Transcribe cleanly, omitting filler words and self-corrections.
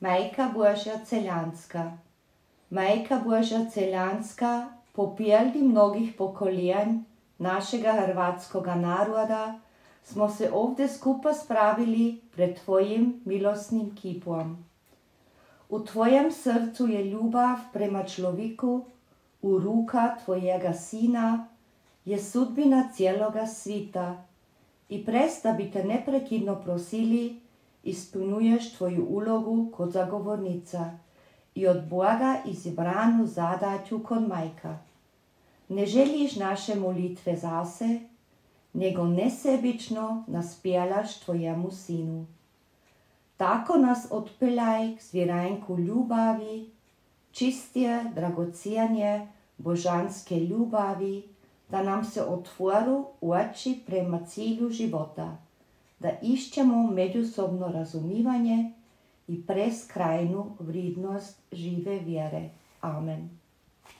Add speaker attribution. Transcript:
Speaker 1: Majka Božja Celjanska. Majka Božja Celjanska, po pieldi mnogih pokoljenj našega hrvatskoga naroda, smo se ovdje skupa spravili pred tvojim milostnim kipom. U tvojem srcu je ljubav prema človeku, u ruka tvojega sina je sudbina cijeloga svita i presta bi te neprekidno prosili, ispunuješ tvoju ulogu kot zagovornica i od Boga izabranu zadaću kod majka. Ne želiš naše molitve zase, nego nesebično naspjelaš tvojemu sinu. Tako nas odpeljaj k zvjeranku ljubavi, čistije, dragocijenje, božanske ljubavi, da nam se otvoru oči prema cilju života, da išćemo međusobno razumivanje i preskrajnu vrednost žive vjere. Amen.